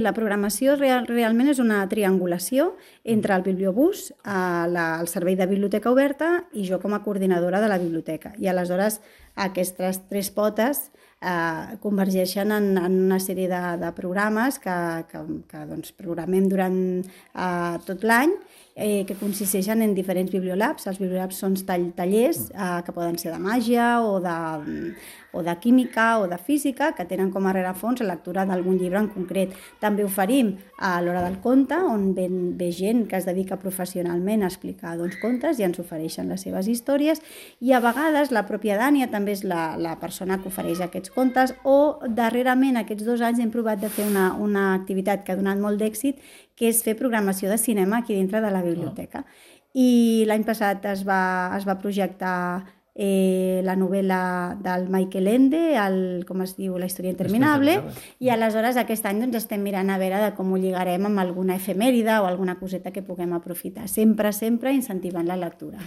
La programació realment és una triangulació entre el bibliobús, el servei de biblioteca oberta i jo com a coordinadora de la biblioteca. I aleshores aquestes tres potes convergeixen en una sèrie de programes que doncs, programem durant tot l'any, que consisteixen en diferents bibliolabs. Els bibliolabs són tallers que poden ser de màgia o de química o de física, que tenen com a rerefons la lectura d'algun llibre en concret. També oferim a l'Hora del Conte, on ve gent que es dedica professionalment a explicar contes i ens ofereixen les seves històries, i a vegades la pròpia Dània també és la persona que ofereix aquests contes, o darrerament aquests 2 anys hem provat de fer una activitat que ha donat molt d'èxit, que és fer programació de cinema aquí dintre de la biblioteca. I l'any passat es va projectar la novel·la del Michael Ende, com es diu, La història interminable, i aleshores aquest any estem mirant a veure de com ho lligarem amb alguna efemèride o alguna coseta que puguem aprofitar, sempre incentivant la lectura.